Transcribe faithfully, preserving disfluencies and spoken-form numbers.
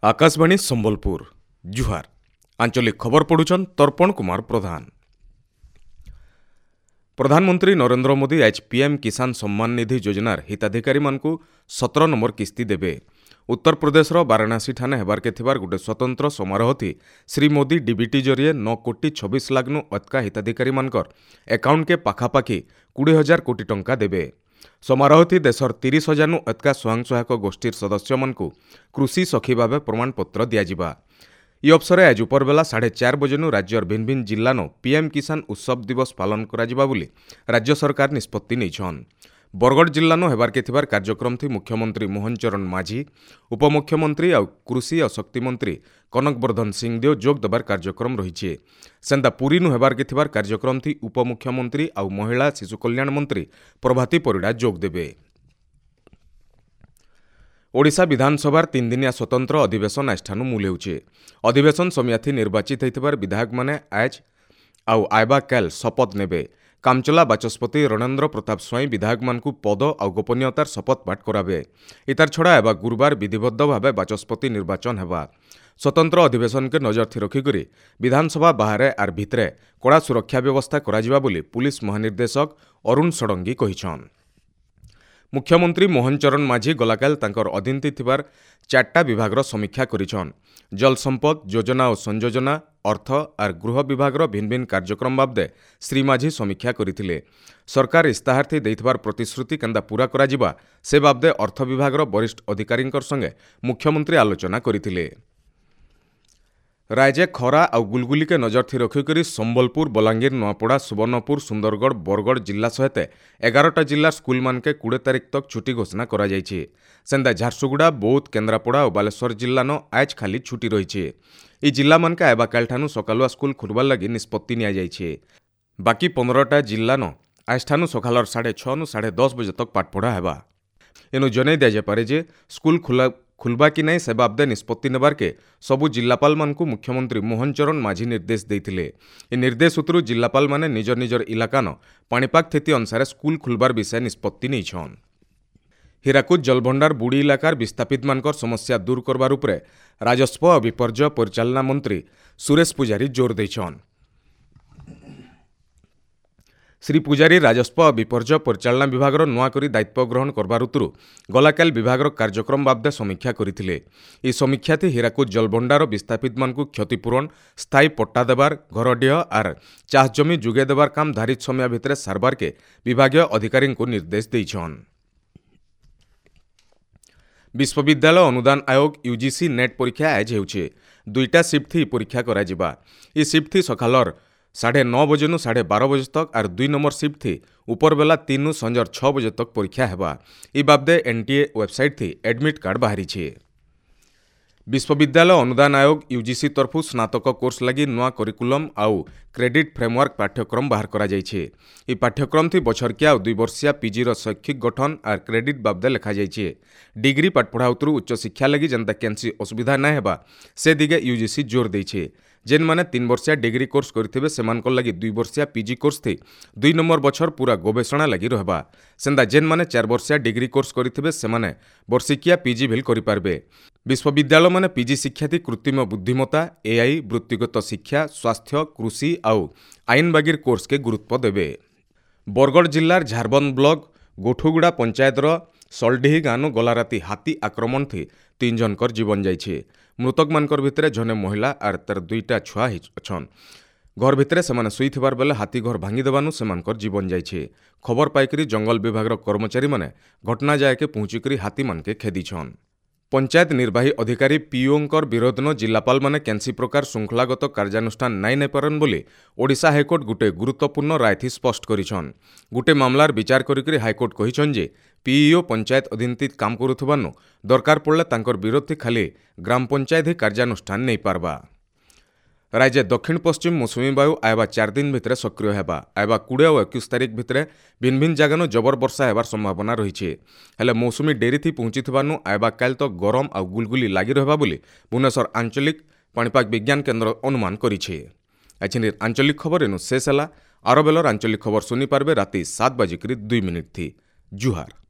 ଆକାଶବାଣୀ ସମ୍ବଲପୁର ଜୁହାର ଆଞ୍ଚଳିକ ଖବର ପଢୁଛନ୍ ତର୍ପଣ କୁମାର ପ୍ରଧାନ ପ୍ରଧାନମନ୍ତ୍ରୀ ନରେନ୍ଦ୍ର ମୋଦି ଆଜ ପିଏମ୍ କିଷାନ ସମ୍ମାନ ନିଧି ଯୋଜନାର ହିତାଧିକାରୀମାନଙ୍କୁ ସତର ନମ୍ବର କିସ୍ତି ଦେବେ ଉତ୍ତରପ୍ରଦେଶର ବାରାଣାସୀଠାନେ ହେବାର୍କେ ଥିବାର ଗୋଟେ ସ୍ୱତନ୍ତ୍ର ସମାରୋହଥି ଶ୍ରୀ ମୋଦି ଡିବିଟି ଜରିଏ ନଅ କୋଟି ଛବିଶ ଲାଖ୍ନୁ ଅତ୍କା ହିତାଧିକାରୀମାନଙ୍କର ଆକାଉଣ୍ଟକେ ପାଖାପାଖି କୋଡ଼ିଏ ହଜାର କୋଟି ଟଙ୍କା ଦେବେ ସମାରୋହଥି ଦେଶର ତିରିଶ ହଜାରନୁ ଅତ୍କା ସ୍ୱୟଂ ସହାୟକ ଗୋଷ୍ଠୀର ସଦସ୍ୟମାନଙ୍କୁ କୃଷି ସଖୀ ଭାବେ ପ୍ରମାଣପତ୍ର ଦିଆଯିବା ଇ ଅବସରେ ଆଜ ଉପରବେଲା ସାଢ଼େ ଚାର ବଜେନୁ ରାଜ୍ୟର ଭିନ୍ନ ଭିନ୍ନ ଜିଲ୍ଲାନୁ ପିଏମ୍ କିଷାନ ଉତ୍ସବ ଦିବସ ପାଳନ କରାଯିବା ବୋଲି ରାଜ୍ୟ ସରକାର ନିଷ୍ପତ୍ତି ନେଇଛନ୍ ବରଗଡ଼ ଜିଲ୍ଲାନୁ ହେବାର୍କେ ଥିବାର କାର୍ଯ୍ୟକ୍ରମଥି ମୁଖ୍ୟମନ୍ତ୍ରୀ ମୋହନ ଚରଣ ମାଝୀ ଉପମୁଖ୍ୟମନ୍ତ୍ରୀ ଆଉ କୃଷି ଆଉ ଶକ୍ତି ମନ୍ତ୍ରୀ କନକ ବର୍ଦ୍ଧନ ସିଂଦେଓ ଯୋଗ ଦେବାର କାର୍ଯ୍ୟକ୍ରମ ରହିଛି ସେନ୍ତା ପୁରୀନୁ ହେବାର୍କେ ଥିବାର କାର୍ଯ୍ୟକ୍ରମଥି ଉପମୁଖ୍ୟମନ୍ତ୍ରୀ ଆଉ ମହିଳା ଶିଶୁ କଲ୍ୟାଣ ମନ୍ତ୍ରୀ ପ୍ରଭାତୀ ପରିଡ଼ା ଯୋଗ ଦେବେ ଓଡ଼ିଶା ବିଧାନସଭାର ତିନିଦିନିଆ ସ୍ୱତନ୍ତ୍ର ଅଧିବେଶନ ଆଜଠାନୁ ମୂଲ ହେଉଛି ଅଧିବେଶନ ସମିୟାଥି ନିର୍ବାଚିତ ହୋଇଥିବାର ବିଧାୟକମାନେ ଆଜ ଆଉ ଆଇବା କାଲ ଶପଥ ନେବେ କାମଚଲା ବାଚସ୍ପତି ରଣେନ୍ଦ୍ର ପ୍ରତାପ ସ୍ୱାଇଁ ବିଧାୟକମାନଙ୍କୁ ପଦ ଆଉ ଗୋପନୀୟତାର ଶପଥ ପାଠ କରାବେ ଇତାର ଛଡ଼ା ହେବା ଗୁରୁବାର ବିଧିବଦ୍ଧ ଭାବେ ବାଚସ୍ପତି ନିର୍ବାଚନ ହେବା ସ୍ୱତନ୍ତ୍ର ଅଧିବେଶନକେ ନଜର ରଖିକରି ବିଧାନସଭା ବାହାରେ ଆର୍ ଭିତରେ କଡ଼ା ସୁରକ୍ଷା ବ୍ୟବସ୍ଥା କରାଯିବା ବୋଲି ପୁଲିସ ମହାନିର୍ଦ୍ଦେଶକ ଅରୁଣ ଷଡ଼ଙ୍ଗୀ କହିଛନ୍ ମୁଖ୍ୟମନ୍ତ୍ରୀ ମୋହନ ଚରଣ ମାଝୀ ଗଲାକାଲ ତାଙ୍କର ଅଧୀନରେ ଥିବାର ଚାରିଟା ବିଭାଗର ସମୀକ୍ଷା କରିଛନ୍ ଜଳସମ୍ପଦ ଯୋଜନା ଓ ସଂଯୋଜନା ଅର୍ଥ ଆର୍ ଗୃହ ବିଭାଗର ଭିନ୍ନ ଭିନ୍ନ କାର୍ଯ୍ୟକ୍ରମ ବାବଦେ ଶ୍ରୀ ମାଝୀ ସମୀକ୍ଷା କରିଥିଲେ ସରକାର ଇସ୍ତାହାରଥି ଦେଇଥିବାର ପ୍ରତିଶ୍ରୁତି କେନ୍ତା ପୂରା କରାଯିବା ସେ ବାବଦେ ଅର୍ଥ ବିଭାଗର ବରିଷ୍ଠ ଅଧିକାରୀଙ୍କ ସଙ୍ଗେ ମୁଖ୍ୟମନ୍ତ୍ରୀ ଆଲୋଚନା କରିଥିଲେ ରାଜ୍ୟ ଖରା ଆଉ ଗୁଲଗୁଲିକେ ନଜର ରଖିକରି ସମ୍ବଲପୁର ବଲାଙ୍ଗୀର ନୂଆପଡ଼ା ସୁବର୍ଣ୍ଣପୁର ସୁନ୍ଦରଗଡ଼ ବରଗଡ଼ ଜିଲ୍ଲା ସହିତ ଏଗାରଟା ଜିଲ୍ଲା ସ୍କୁଲମାନକେ କୋଡ଼ିଏ ତାରିଖ ତକ୍ ଛୁଟି ଘୋଷଣା କରାଯାଇଛି ସେନ୍ତା ଝାରସୁଗୁଡ଼ା ବୌଦ୍ଧ କେନ୍ଦ୍ରାପଡ଼ା ଓ ବାଲେଶ୍ୱର ଜିଲ୍ଲାନ ଆଜ ଖାଲି ଛୁଟି ରହିଛି ଏଇ ଜିଲ୍ଲାମାନକେ ଆଇବା କାଲଠାନୁ ସକାଳୁଆ ସ୍କୁଲ ଖୋଲବାର ଲାଗି ନିଷ୍ପତ୍ତି ନିଆଯାଇଛି ବାକି ପନ୍ଦରଟା ଜିଲ୍ଲାନ ଆଜଠାନୁ ସକାଳର ସାଢ଼େ ଛଅନୁ ସାଢ଼େ ଦଶ ବଜେ ତକ୍ ପାଠପଢ଼ା ହେବା ଏନୁ ଜଣାଇ ଦିଆଯାଇପାରେ ଯେ ସ୍କୁଲ ଖୋଲା ଖୁଲବା କି ନାଇଁ ସେ ବାବଦେ ନିଷ୍ପତ୍ତି ନେବାର୍କେ ସବୁ ଜିଲ୍ଲାପାଳମାନଙ୍କୁ ମୁଖ୍ୟମନ୍ତ୍ରୀ ମୋହନ ଚରଣ ମାଝୀ ନିର୍ଦ୍ଦେଶ ଦେଇଥିଲେ ଏ ନିର୍ଦ୍ଦେଶ ସୂତ୍ରୁ ଜିଲ୍ଲାପାଳମାନେ ନିଜ ନିଜର ଇଲାକାନ ପାଣିପାଗ ସ୍ଥିତି ଅନୁସାରେ ସ୍କୁଲ ଖୁଲବାର ବିଷୟ ନିଷ୍ପତ୍ତି ନେଇଛନ୍ ହୀରାକୁଦ ଜଳଭଣ୍ଡାର ବୁଡ଼ି ଇଲାକାର ବିସ୍ଥାପିତମାନଙ୍କର ସମସ୍ୟା ଦୂର କରବାର ଉପରେ ରାଜସ୍ୱ ଓ ବିପର୍ଯ୍ୟୟ ପରିଚାଳନା ମନ୍ତ୍ରୀ ସୁରେଶ ପୂଜାରୀ ଜୋର ଦେଇଛନ୍ ଶ୍ରୀ ପୂଜାରୀ ରାଜସ୍ୱ ଓ ବିପର୍ଯ୍ୟୟ ପରିଚାଳନା ବିଭାଗର ନୂଆ କରି ଦାୟିତ୍ୱ ଗ୍ରହଣ କରବାର ଉତ୍ତରୁ ଗଲାକାଲ ବିଭାଗର କାର୍ଯ୍ୟକ୍ରମ ବାବଦେ ସମୀକ୍ଷା କରିଥିଲେ ଏହି ସମୀକ୍ଷାଥି ହୀରାକୁଦ ଜଳଭଣ୍ଡାର ବିସ୍ଥାପିତମାନଙ୍କୁ କ୍ଷତିପୂରଣ ସ୍ଥାୟୀ ପଟ୍ଟା ଦେବାର ଘରଡିହ ଆର୍ ଚାଷ ଜମି ଯୋଗାଇ ଦେବାର କାମ ଧାରିତ ସମୟ ଭିତରେ ସାରବାରକେ ବିଭାଗୀୟ ଅଧିକାରୀଙ୍କୁ ନିର୍ଦ୍ଦେଶ ଦେଇଛନ୍ ବିଶ୍ୱବିଦ୍ୟାଳୟ ଅନୁଦାନ ଆୟୋଗ ୟୁଜିସି ନେଟ୍ ପରୀକ୍ଷା ଆଜ ହେଉଛି ଦୁଇଟା ସିଫ୍ଟ ପରୀକ୍ଷା କରାଯିବା ଏହି ସିଫ୍ଟ ସକାଳର ସାଢ଼େ ନଅ ବଜେନୁ ସାଢ଼େ ବାର ବଜେ ତକ୍ ଆର୍ ଦୁଇ ନମ୍ବର ସିଫ୍ଟ ଥି ଉପରବେଲା ତିନୁ ସଞ୍ଜର ଛଅ ବଜେ ତକ୍ ପରୀକ୍ଷା ହେବା ଇ ବାବଦେ ଏନ୍ଟିଏ ୱେବସାଇଟ୍ ଥି ଆଡମିଟ୍ କାର୍ଡ଼ ବାହାରିଛି ବିଶ୍ୱବିଦ୍ୟାଳୟ ଅନୁଦାନ ଆୟୋଗ ୟୁଜିସି ତରଫରୁ ସ୍ନାତକ କୋର୍ସ ଲାଗି ନୂଆ କରିକୁଲମ୍ ଆଉ କ୍ରେଡିଟ୍ ଫ୍ରେମୱାର୍କ ପାଠ୍ୟକ୍ରମ ବାହାର କରାଯାଇଛି ଏହି ପାଠ୍ୟକ୍ରମ ଥି ବଛରକିଆ ଆଉ ଦୁଇ ବର୍ଷିଆ ପିଜିର ଶୈକ୍ଷିକ ଗଠନ ଆର୍ କ୍ରେଡିଟ୍ ବାବଦେ ଲେଖାଯାଇଛି ଡିଗ୍ରୀ ପାଠପଢ଼ା ଉତରୁ ଉଚ୍ଚଶିକ୍ଷା ଲାଗି ଯେନ୍ତା କେନ୍ସି ଅସୁବିଧା ନାଇଁ ହେବା ସେ ଦିଗେ ୟୁଜିସି ଜୋର ଦେଇছে ଯେନ୍ମାନେ ତିନି ବର୍ଷିଆ ଡିଗ୍ରୀ କୋର୍ସ କରିଥିବେ ସେମାନଙ୍କର ଲାଗି ଦୁଇ ବର୍ଷିଆ ପିଜି କୋର୍ସ ଥି ଦୁଇ ନମ୍ବର ବଛର ପୁରା ଗବେଷଣା ଲାଗି ରହିବା ସେନ୍ତା ଯେନ୍ମାନେ ଚାରି ବର୍ଷିଆ ଡିଗ୍ରୀ କୋର୍ସ କରିଥିବେ ସେମାନେ ବର୍ଷିକିଆ ପିଜି ଭିଲ୍ କରିପାରିବେ ବିଶ୍ୱବିଦ୍ୟାଳୟମାନେ ପିଜି ଶିକ୍ଷାଥି କୃତ୍ରିମ ବୁଦ୍ଧିମତ୍ତା ଏଆଇ ବୃତ୍ତିଗତ ଶିକ୍ଷା ସ୍ୱାସ୍ଥ୍ୟ କୃଷି ଆଉ ଆଇନ ବାଗିର କୋର୍ସକେ ଗୁରୁତ୍ୱ ଦେବେ ବରଗଡ଼ ଜିଲ୍ଲାର ଝାରବନ୍ଦ ବ୍ଲକ ଗୋଠୁଗୁଡ଼ା ପଞ୍ଚାୟତର ସଲଡିହି ଗାଁନୁ ଗଲା ରାତି ହାତୀ ଆକ୍ରମଣ ଥି ତିନି ଜଣଙ୍କର ଜୀବନ ଯାଇଛି ମୃତକମାନଙ୍କର ଭିତରେ ଜଣେ ମହିଳା ଆର୍ ତାର ଦୁଇଟା ଛୁଆ ଅଛନ୍ ଘର ଭିତରେ ସେମାନେ ଶୋଇଥିବାର ବେଲେ ହାତୀ ଘର ଭାଙ୍ଗିଦେବାନୁ ସେମାନଙ୍କର ଜୀବନ ଯାଇଛି ଖବର ପାଇକରି ଜଙ୍ଗଲ ବିଭାଗର କର୍ମଚାରୀମାନେ ଘଟଣା ଜାଗାକେ ପହଞ୍ଚିକରି ହାତୀମାନକେ ଖେଦିଛନ୍ ପଞ୍ଚାୟତ ନିର୍ବାହୀ ଅଧିକାରୀ ପିଓଙ୍କର ବିରୋଧନ ଜିଲ୍ଲାପାଳମାନେ କେନ୍ସି ପ୍ରକାର ଶୃଙ୍ଖଳାଗତ କାର୍ଯ୍ୟାନୁଷ୍ଠାନ ନାଇଁ ନେଇପାରନ୍ ବୋଲି ଓଡ଼ିଶା ହାଇକୋର୍ଟ ଗୁଟେ ଗୁରୁତ୍ୱପୂର୍ଣ୍ଣ ରାୟଥି ସ୍ପଷ୍ଟ କରିଛନ୍ ଗୁଟେ ମାମଲାର ବିଚାର କରିକରି ହାଇକୋର୍ଟ କହିଛନ୍ ଯେ ପିଇଓ ପଞ୍ଚାୟତ ଅଧୀନରେ କାମ କରୁଥିବାନୁ ଦରକାର ପଡ଼ିଲେ ତାଙ୍କର ବିରୋଧୀ ଖାଲି ଗ୍ରାମ ପଞ୍ଚାୟତ ହିଁ କାର୍ଯ୍ୟାନୁଷ୍ଠାନ ନେଇପାରବା ରାଜ୍ୟ ଦକ୍ଷିଣ ପଶ୍ଚିମ ମୌସୁମୀ ବାୟୁ ଆଇବା ଚାରି ଦିନ ଭିତରେ ସକ୍ରିୟ ହେବା ଆଇବା କୋଡ଼ିଏ ଓ ଏକୋଇଶ ତାରିଖ ଭିତରେ ଭିନ୍ନ ଭିନ୍ନ ଜାଗାନୁ ଜବର ବର୍ଷା ହେବାର ସମ୍ଭାବନା ରହିଛି ହେଲେ ମୌସୁମୀ ଡେରିଥି ପହଞ୍ଚିଥିବାନୁ ଆଇବା କାଲ ତ ଗରମ ଆଉ ଗୁଲଗୁଲି ଲାଗି ରହିବା ବୋଲି ଭୁବନେଶ୍ୱର ଆଞ୍ଚଳିକ ପାଣିପାଗ ବିଜ୍ଞାନ କେନ୍ଦ୍ର ଅନୁମାନ କରିଛି ଆଜିର ଆଞ୍ଚଳିକ ଖବର ଏନୁ ଶେଷ ହେଲା ଆର ବେଲର ଆଞ୍ଚଳିକ ଖବର ଶୁଣିପାରିବେ ରାତି ସାତ ବାଜିକରି ଦୁଇ ମିନିଟ୍ ଥି ଜୁହାର।